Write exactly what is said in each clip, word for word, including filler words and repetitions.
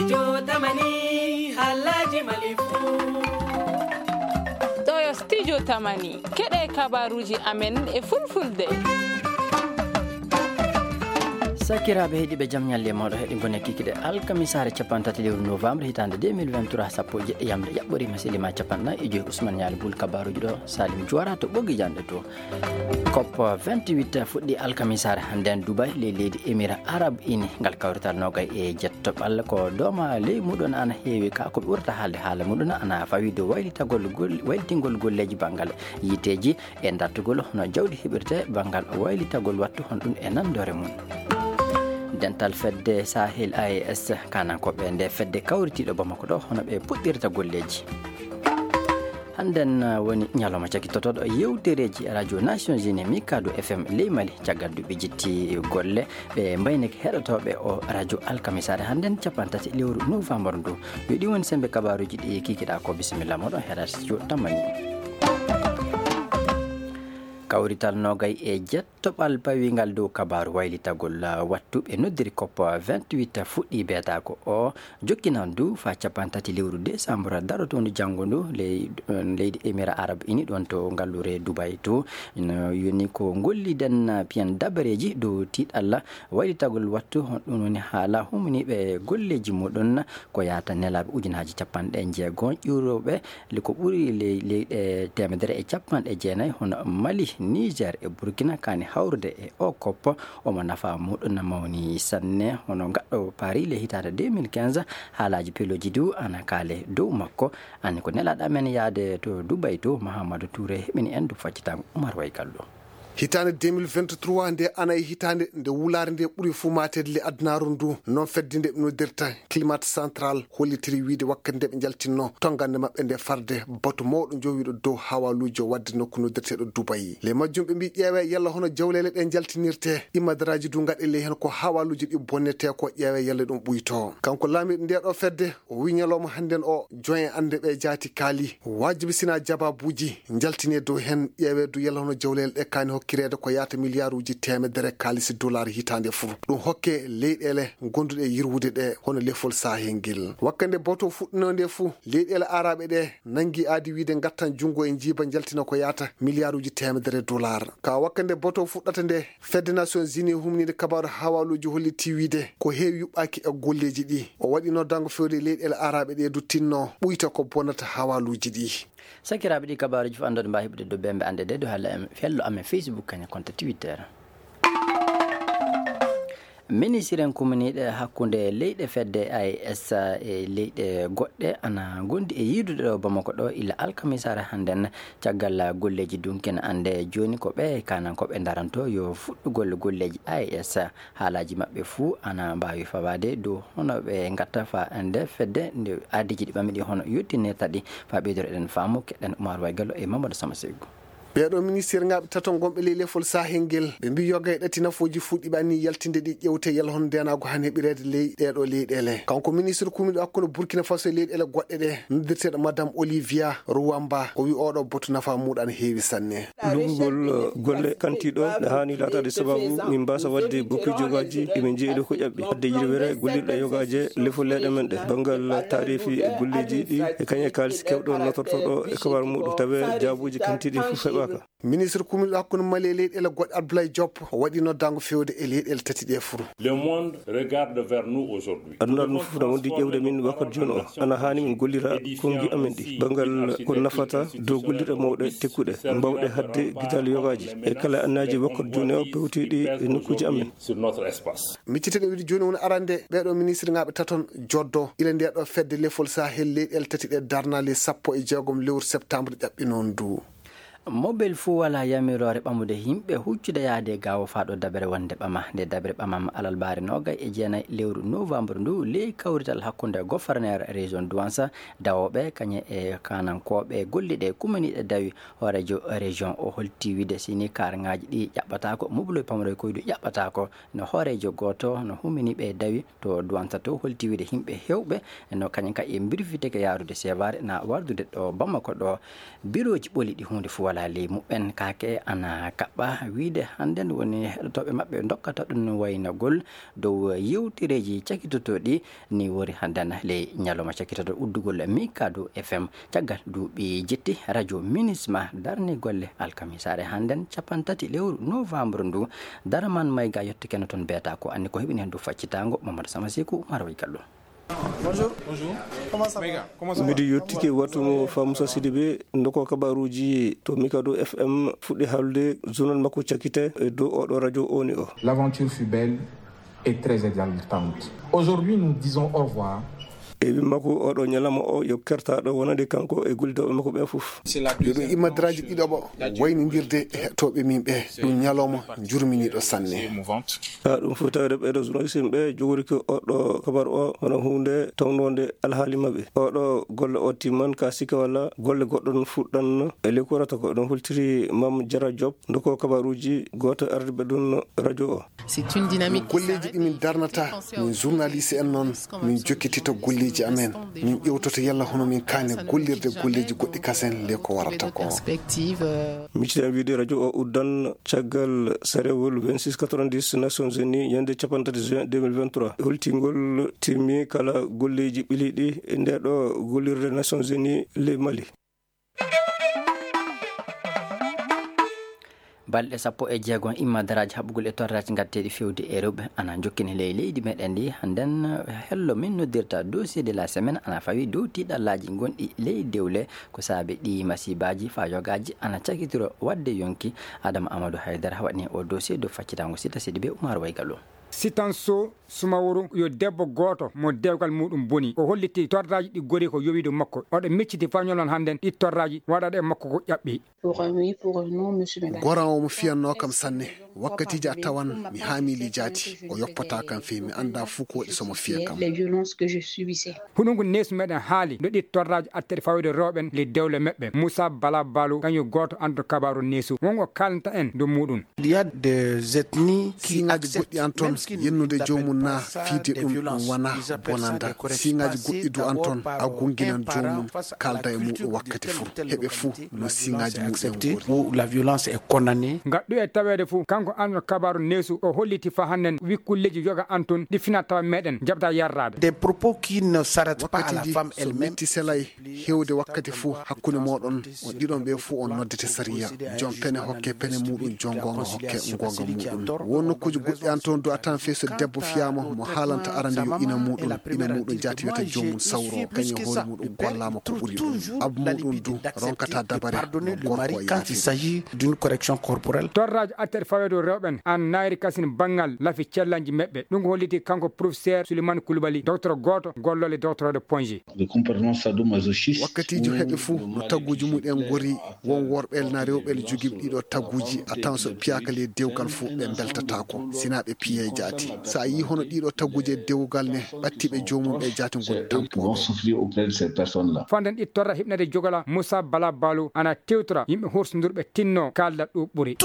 Studio Tamani, haalaaji Mali fuu. Ɗo yo Studio Tamani, keɗee kabaaruuji amen e Fulfulde. Sakiraaɓe heɗiiɓe, jam ñalle e mooɗon. Heɗi ngoni e kikiiɗe alkamisaare cappanɗe tati lewru novembre hitaande deux mille vingt-trois, sappo e jeɗɗi yamre ƴaɓɓoriima, selliima cappanɗe nayi e joy. Ousmane Ñaali Bul, kabaaruuji ɗo, Salim Juwara to ɓoggi janɗe to. COP vingt-huit fuɗɗii alkamisaare hannden Dubai, ley leydi Emirats Arabes Unis. Ngal kawrital noogay e jettooɓal ko dooma ley muɗum ana heewi, ka ko ɓe ɓurata haalde haala muɗum ana fawii dow waylitagol gol-, waylitingol golleeji banngal yiiteeji e dartugol hono jawdi heɓirtee banngal waylitagol wattu hono ɗum e nanndoore mum. Dental fedde Sahel A E S, kaanankooɓe ndee fedde kawritiiɗo Bamako ɗo, hono ɓe puɗɗirta golleeji. Hannden, uh, woni ñalawma cakitotooɗo yeewtereeji Radio Nations Unies, Mikado F M ley Mali. Caggal nde ɓe jitti golle, ɓe mbaynike heɗotooɓe oo radio alkamisaare hannden, cappanɗe tati lewru novembre ndu. Yo ɗi woni semmbe kabaaruuji ɗi kikiiɗaa ko. Bisimilla mooɗon, heɗaa Studio Tamani. Kawrital noogay e jettooɓal pawiingal dow kabaaru waylitagol, uh, wattu ɓe noddiri COP vingt-huit fuɗɗii beetaako oo. Jokkinan ndu faa cappanɗe tati lewru desambur darotoondu janngo ndu ley-, leydi Emirats Arabes Unis ɗoon to ngalluure Dubai to. No yoni ko ngolliden piyan dabareeji dow tiiɗalla waylitagol wattu, ɗum woni haala humniiɓe golleeji muɗum ko yahata nelaaɓe ujunaaji cappanɗe jeego ƴuurooɓe le-, ko ɓuri ley-, leyɗe teemedere e cappanɗe jeenayi, hono Mali, Niger e Burkina, kaani hawrude e oo COP. Omo nafa muɗum na mawni sanne, hono ngaɗɗo Paris le hitaande deux mille quinze, haalaaji pelooji du ana kaale dow makko. Anni ko nelaaɗo amen yahde to Dubai to, Mahamadou Touré heɓini en du faccitango Umar Waygallo. Hitaande deux mille vingt-trois nde ana e hitaande nde wulaare nde ɓuri fuu maateede le adunaaru ndu, noon fedde nde ɓe noddirta Climat Central hollitiri wiyde wakkati nde ɓe njaltinno tonngande maɓɓe nde farde batu mawɗo njowiiɗo dow hawaluuji o waɗde nokku noddirteeɗo Dubai. Ley majjum ɓe mbii ƴeewee yalla hono jawleele ɗe njaltinirtee, imadaraaji du ngaɗee ley heen ko hawaluuji ɗi bonnetee ko, ƴeewee yalla ɗum ɓuytoo. Kanko laamiiɗo ndee ɗoo fedde, o wii ñalawma hannden o, jon en annde ɓee jaati kaali, waajibi sinaa jabaabuuji njaltinee dow heen, ƴeewee du yalla hono jawleele ɗe kaani hokkireede ko yahata miliyaaruuji teemedere kaalisi dolaar hitaande fuu. Ɗum hokkee leyɗeele gonduɗe e yirwude ɗe, hono lefol Sahel ngel. Wakkati nde batu fuɗɗinoo nde fuu, leyɗeele aaraaɓe ɗe nanngi aadi wiyde ngattan junngo e njiiba njaltina ko yahata miliyaaruuji teemedere dolaar. Ka wakkati nde batu fuɗɗata nde, fedde Nations Unies humniinde kabaaru hawaluuji hollitii wiyde ko heewi yuɓɓaaki e golleeji ɗi. O waɗi noddaango fewde leyɗeele aaraaɓe ɗe du tinno ɓuyta ko bonnata hawaluuji ɗi. Sakiraaɓe, ɗi kabaaruuji fof anndude mbaa heɓude dow bembe annde de dow halla em fello amen Facebook kañum konto Twitter. Ministiren kuminiiɗe hakkunde leyɗe fedde A E S e leyɗe goɗɗe ana ngondi e yiidude ɗo Bamako ɗo ila alkamisaare hannden, caggal golleeji dunki na annde jooni ko ɓe kaanankooɓe ndaranto yo fuɗɗugol golleeji A E S. Haalaaji maɓɓe fuu ana mbaawi fawaade dow hono ɓe ngatta faa nde fedde nde aadiiji ɗi ɓami ɗi hono yottinirta ɗi. Faa ɓeydoro eɗen faamu, keɗen Umar Waygallo e Mamadou Sama Seygu. Ɓee ɗoo ministirŋaaɓe tato ngonɓe ley lefol Sahel ngel, ɓe mbii yoga e ɗati nafooji fuu ɗi ɓe annii yaltinde ɗi ƴewte yalla hono ndeenaagu han heɓireede ley ɗee ɗoo leyɗeele. Kanko ministir kumiiɗo hakkunde Burkina Faso e leyɗeele goɗɗe ɗe, noddirteeɗo Madame Olivia Ruwamba, o wii oo ɗoo batu nafaa muuɗum ana heewi sanne. Luggugol golle kantiiɗo ne haani laataade sababu min mbaasa waɗde bokki jogaaji ɗi min njeyi ɗo ko ƴaɓɓi. Waɗde yirwere gollirɗe yogaaje lefol leyɗe men ɗe. Banngal taarifi e golleeji ɗi e kañe kaalis kewɗo notortooɗo e kabar muuɗum. Tawee jaabuuji kantiiɗi fof heɓaaka. Ministre kumiiɗo hakkunde Mali e leyɗeele goɗɗe Abdoulaye Diop o waɗi noddaango feewde e leyɗeele tati ɗee fof. Le monde regarde vers nous aujourd'hui. Aduna ɗum fof na wondi ƴeewde min wakkati jooni o. Ana haani min gollira konngi amen ɗi. Banngal ko nafata dow gollirɗe mawɗe tekkuɗe, mbaawɗe haɗde gidal yogaaji. E kala annaaji wakkati jooni o pewtiiɗi e nokkuuji amen. Sur notre espace. Miccitɗen wiide jooni woni arande ɓee ɗoo ministreŋaaɓe taton joddo ila ndee ɗoo fedde lefol Sahel leyɗeele tati ɗee darnaa ley sappo e jeegom lewru septembre ƴaɓɓi noon ndu. Mobel fuu walaa yamiroore ɓamude yimɓe huccude yahde e gaawo faa ɗo dabere wonde ɓama. Nde dabere ɓamama alarbaare noogay e jeenay lewru novembre ndu ley kawrital hakkunde goforneer région Douentza, dawooɓe kañe e kaanankooɓe golliiɓe e kuminiiɓe dawi. Hooreejo région o holti wiide si nii kaarŋaaji ɗi ƴaɓɓataako, moboloy pamuroy koyɗi ƴaɓɓataako. No hooreejo gooto no humini ɓe dawi to Douentza to holti wiide yimɓe heewɓe no kañum kay e mbirfitike yaarude seebaare na wardude ɗo Bamako ɗo. Birooji ɓoli ɗi huunde fuu Alhaali muɓɓen kaake ana kaɓɓa wiyde hannden woni heɗotooɓe maɓɓe ndokkata ɗum waynagol dow yewtereeji cakitotooɗi. Ni wori hannden ley ñalawma cakitotooɗo uddugol Mikado F M caggal duuɓi jetti radio Minisma darni golle alkamisaare hannden cappanɗe tati lewru novembre ndu. Daraman Mayga yetto keno toon beeta ko anndi ko heɓini heen dow faccitaango Mamadou Sama Seku Umar Way Gallo. Miɗo yettike wattu mo Fa Musa Sidibe ndoko kabaruuji to Mikado F M fuɗɗi haalde journal makko cakkite e dow oɗo radio oni o. L'aventure fut belle et très exaltante. Aujourd'hui, nous disons au revoir. E wi makko oɗo ñalawma o yo kertaaɗo wonande kanko e gollidooɓe makko ɓe fof. Yo ɗum immadraaji ɗiɗaɓo waynindirde e heɗtooɓe min ɓe. Ɗum ñalawma njurminiiɗo sanne. Haa ɗum fof tawde ɓeeɗo journaliste en ɓe jogori ko oɗo kabar o hono huunde tawnoonde alhaali maɓɓe. Oɗo golle o timman ka sikke walla golle goɗɗo ɗon fuɗɗan e ley korata ko ɗum holtiri Mam Jara Job ndoko kabaruuji gooto ardiiɓe ɗum radio o. Golleeji ɗi min darnata min journaliste en noon min jokkitita golleeji amen. Min ƴewtoto yalla hono min kaani gollirde golleeji goɗɗi kasen ley ko warata ko. Micciɗen wiide radio o uddan caggal sarewol vingt-six quatre-vingt-dix Nations Unies ñande cappanɗe tati juin deux mille vingt-trois holtingol timmi kala golleeji ɓiliiɗi e nde ɗo gollirde Nations Unies ley Mali. Balɗe sappo e jeegom immadaraaji haɓugol e torraaji ngatteeɗi fewde e rewɓe ana njokkini ley leydi meɗen ndi. Nden hello min noddirta dossier de la semaine ana fawi dow tiiɗallaaji gonɗi ley dewle ko saabi ɗi masibaaji faa yogaaji ana cakitiro waɗde yonki. Adama Amadou Haydara waɗni o dossier dow faccitango Sita Sidibe Umar Waygallo. Sitanso Sumaworo yo debbo gooto mo dewgal muuɗum boni. O holliti torraaji ɗi gori ko yowiido makko. Oɗo micciti fañolon hannden ɗi torraaji waɗaɗo e makko ko ƴaɓɓi. Goran o mo fiyannoo kam sanne. Wakkatiiji a tawan mi haamii lijaati, o yoppataa kam fey, mi anndaa fuu ko waɗi so mo fiya kam. Huɗo ngu neesu meɗen haali no ɗi torraaji atteɗi fawde rewɓen ley dewle meɓɓe. Muusa Bala Balo kañum gooto annduɗo kabaaru neesu won o kaalanta en dow muuɗum. Siiŋaaji goɗɗi an ton yennude joomum na fiide ɗum ɗum wana bonanda. Siiŋaaji goɗɗi du an ton a gunginan joomum kaalda e muuɗum wakkati fuu. Heɓe fuu no siiŋaaji muuɗum ngori. Ngaɗɗu e taweede fuu kanko annduɗo kabaaru neesu o holliti faa hannden wi kulleeji yoga an ton ɗi finaa tawa meɗen jaɓda yarraade. Wakkatiiji so metti selay heewde wakkati fuu hakkunde mooɗon on ɗiɗon ɓee fuu on noddete sariya. Joom pene hokke pene muuɗum joom goonga hokke goonga muuɗum. Won nokkuuji goɗɗi an toon du a tawan fey so debbo fiyaama mo haalanta arande yo ina muuɗum ina muuɗum jaati wiyata joomum sawro kañum hoore muuɗum gollaama ko ɓuri ɗum. Abba muuɗum du ronkata dabare no gorko o yaafii. Torraaji atteɗi faweede rewɓen an naayri kasin banngal lafi cellanji meɓɓe ɗum ko holliti kanko professeur Souleymane Coulibaly docteur gooto golloole docteur de Ponge. Wakkatiiji heɓe fuu no tagguuji mum en ngori. Won worɓe na rewɓe jogiiɓe ɗiɗo tagguuji a tawan so ɓe piyaaka ley dewgal fuu ɓe mbeltataako sinaa ɓe piyee jaati. So a yii hono ɗiɗo tagguuji e dewgal ne ɓattiiɓe joomum ɓe jaati ngoni tampoɓe. Fanden ɗi torra hiɓnade jogola Moussa Bala Balo ana tewtora yimɓe hursindurɓe tinno kaalda ɗo ɓuri.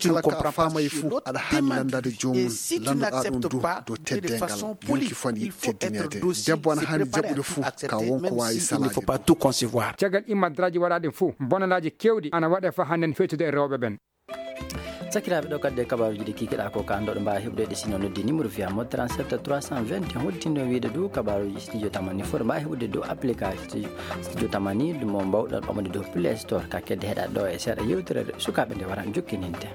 Kala ka a faamayi fuu aɗa haani lanndaade joomum. Lanndoɗaa ɗum du dow teddengal. Yonki fuu ana yiɗi teddineede. Debbo ana haani jaɓɓude fuu ka won ko waawi salaade. Caggal immadraaji waɗaaɗi fuu bonandaaji keewɗi ana waɗee faa hannden fewtude e rewɓe ɓen. Sakiraaɓe ɗo kadi e kabaaruuji ɗi kiikiɗaa ko ka ndo ɗo mbaawi heɓude ɗi sino noddi numéro fiya mo trente-sept trois cent vingt et un hodditindo wiide dow kabaaruuji studio tamani fof ɗo mbaawi heɓude dow application studio tamani mo mbawɗon ɓamude dow play store ka kedde heɗa ɗo e seeɗa yewtere sukaaɓe nde wara jokkininte.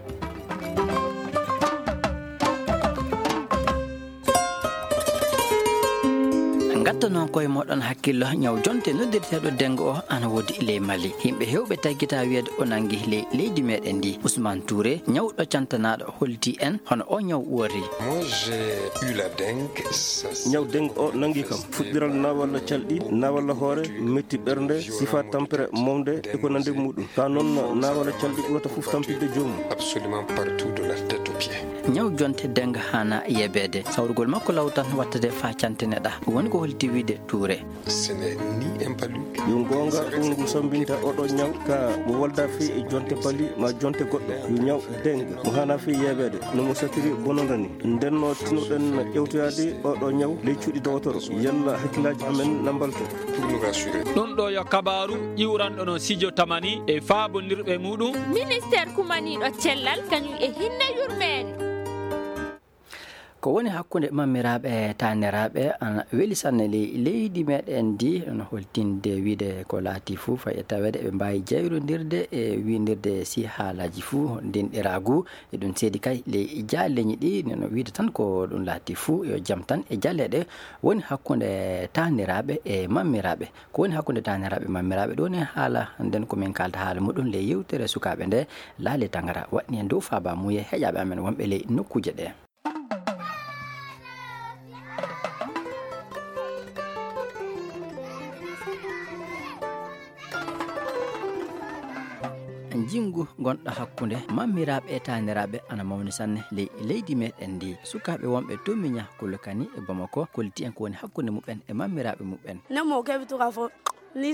Ngattanoo koye mooɗon hakkillo ñaw jonte noddirteeɗo dengo o ana woodi ley Mali. Yimɓe heewɓe taggitaa wiyeede o nanngi ley leydi meɗen ndi. Ousmane Touré ñawɗo cantanaaɗo holti en hono o ñaw uwori. Ñaw dengo o nanngi kam fuɗɗiral naawalla calɗi naawalla hoore metti ɓernde sifa tampere mawde e ko nande muɗum ka noon naawalla calɗi ɓurata fof tampinde joomum. Ñaw jonte dennga haanaa yeebeede. Sawrugol makko law tan wattade faa cantine ɗaa. Ɗum woni ko holti wiide tuure. Ce n'est ni un palu. Yo goonga, ɗum ngu sammbinta oɗo ñaw ka mo wolda fii e jonte pali ma jonte goɗɗo. Yo ñaw dennga mo haanaa fii yeebeede no mo satiri bononda ni. Nden no tinoɗen ƴewtoyaade oɗo ñaw ley cuuɗi dowotoro. Yalla hakkillaaji amen na mbalto. Pour nous rassurer. Ɗum ɗoo yo kabaaru ƴiwranɗo no Sijo Tamani e faabondirɓe muuɗum. Ministeer kumaniiɗo cellal kañum e hinne yurmeende. Ko woni hakkunde mammiraaɓe e taaniraaɓe ana weli sanne ley leydi meɗen ndi, no holtinde wiide ko laati fuu fay e taweede eɓe mbaawi jayrondirde e wiindirde si haalaaji fuu ndinɗiraagu. E ɗum seedi kay ley jaaleeji ɗi, no wiide tan ko ɗum laati fuu yo jam tan e jaleeɗe woni hakkunde taaniraaɓe e mammiraaɓe. Ko woni hakkunde taaniraaɓe e mammiraaɓe ɗo woni haala nden ko min kaalta haala muɗum ley yewtere sukaaɓe nde. Laali Tangara waɗni en dow faaba muuye heƴaaɓe amen wonɓe ley nokkuuje ɗe. Njinngu ngonɗo hakkunde mammiraaɓe e taaniraaɓe ana mawni sanne ley leydi meɗen ndi. Sukaaɓe wonɓe to Miña Kolokani e Bamako kolliti en ko woni hakkunde muɓɓen e mammiraaɓe muɓɓen. Nde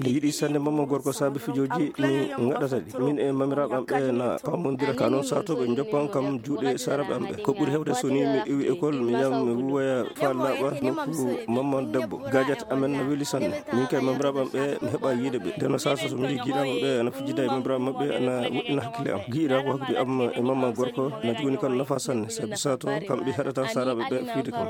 mi yiɗi sanne mamma gorko saabi fijooji mi ngaɗata ɗi. Min e mamiraaɓe am ɓe na paamondira ka non saatooɓe njoppan kam juuɗe saaraaɓe am ɓe. Ko ɓuri heewde so ni mi iwi école mi yam mi wuwoya faa laaɓa nokku mamma debbo. Gaajat amen no weli sanne. Min kay mamiraaɓe am ɓe mi heɓa yiide ɓe. Nden no saasa so mi yii giɗaaɓe ɓe ana fijida e mamiraaɓe maɓɓe ana woɗɗina hakkille am. Giɗiraagu hakkunde am e mamma gorko na jogani kam nafa sanne sabi saatoo kamɓe heɗata saaraaɓe ɓe fiide kam.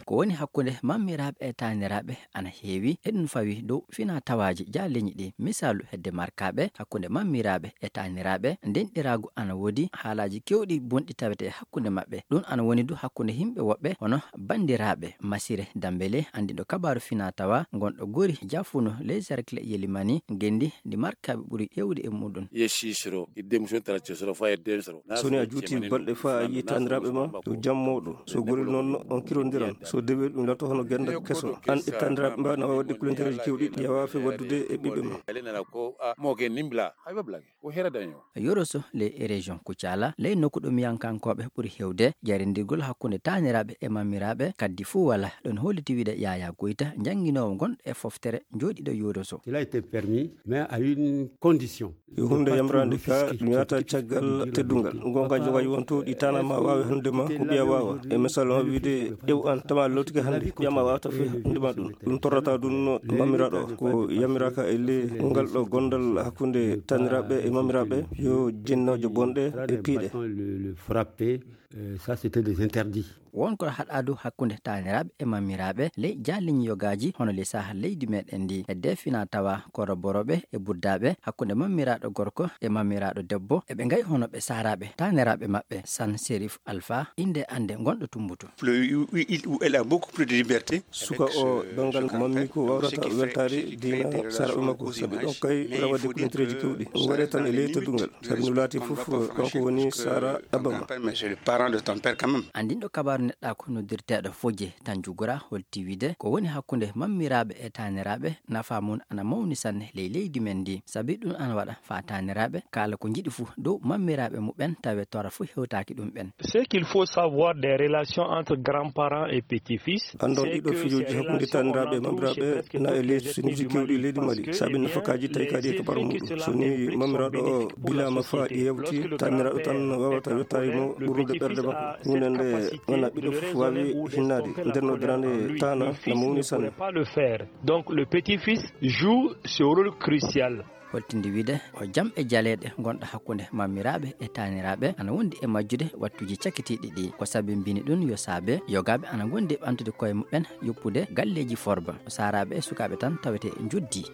Ko woni hakkunde mammiraaɓe e taaniraaɓe ana heewi. Eɗum fawi dow finaa tawaaji jaaleeji ɗi. Misaalu hedde markaaɓe hakkunde mammiraaɓe e taaniraaɓe. Ndenɗiraagu ana woodi haalaaji keewɗi bonɗi tawetee hakkunde maɓɓe. Ɗum ana woni du hakkunde yimɓe woɓɓe hono banndiraaɓe. Masire Dambele anndiɗo kabaaru finaa tawa ngonɗo Gori Jafunu ley cercle Yelimani ngenndi ndi markaaɓe ɓuri ƴeewde e muɗum. Ye sisiro idde muso tara cesoro fa idde soro. So ni a juuti balɗe faa a yii taaniraaɓe ma yo jam mawɗo. So gorel noon on kirondiran so dewel ɗum lato hono gennda keso. An e taaniraaɓe ma na waawi waɗde kulantereeji keewɗi ɗi a waafe waɗdude e ɓiɓɓe ma. Yoroso ley région Kucala ley nokku ɗo miyankankooɓe ɓuri heewde. Jarindirgol hakkunde taaniraaɓe e mammiraaɓe kaddi fuu wala. Ɗon holliti wiide Yaya Goyta njannginoowo ngonɗo e foftere njooɗiiɗo Yoroso. Cela était permis mais à une condition. Yo huunde yamraande ka ɗum yahata caggal teddungal. Ngonka jogaji won to ɗi tana ma waawi hannde ma ko ɓiya waawa. E misal ma wiide ƴew an tama lootike hannde ɓiya ma waawata fi hannde ma ɗum. Ɗum torrata ɗum mamiraaɗo ko yamiraaka e ley ngal ɗo gondal hakkunde taniraaɓe e mamiraaɓe. Yo jinnooje bonɗe e piiɗe. Frappé. Ça c'était des interdits. Won ko haɗaadu hakkunde taaniraaɓe e mamiraaɓe ley jaaliñi yogaaji hono ley saha leydi meɗen ndi. Hedde fina tawa koroborooɓe e buddaaɓe hakkunde mamiraaɗo gorko e mamiraaɗo debbo eɓe ngayi hono ɓe saaraaɓe taaniraaɓe maɓɓe. San Serif Alfa innde annde ngonɗo Tumbutu. Suka o banngal mammiiko wawrata weltaade diina saaraaɓe makko sabi ɗon kay ɓura waɗde kulantereeji kewɗi waɗe tan e ley teddungal. Sabi no laati fof kanko woni saara abba ma. Anndinɗo kabaaru neɗɗaaku noddirteeɗo Fojje Tanjugura holti wiide ko woni hakkunde mammiraaɓe e taaniraaɓe nafa mum ana mawni sanne ley leydi men ndi. Sabi ɗum ana waɗa faa taaniraaɓe kaala ko njiɗi fof dow mammiraaɓe muɓɓen tawe tora fof hewtaaki ɗum ɓen. Ce qu'il faut savoir des relations entre grands-parents et petits-fils. Anndon ɗiɗo fijooji hakkunde taaniraaɓe e mamiraaɓe na e ley sunuuji keewɗi leydi Mali sabi nafakaaji tawi kadi e kabaru muɗum. So ni mamiraaɗo o bilaama faa ƴeewti taaniraaɗo tan waawata yottaade mo ɓurnude ɓernde makko. Huunde nde wona ɓiɗɗo fof waawi hinnaade. Nden no darande taana na mawni sanne. Donc le petit-fils joue ce rôle crucial. Holtinde wiide o jam e jaleeɗe ngonɗo hakkunde mammiraaɓe e taaniraaɓe ana wondi e majjude wattuuji cakitiiɗi ɗi. Ko sabimbini ɗum yo saabe yogaaɓe ana ngondi e ɓamtude koye muɓɓen yoppude galleeji forba. Saaraaɓe e sukaaɓe tan tawetee njoddii.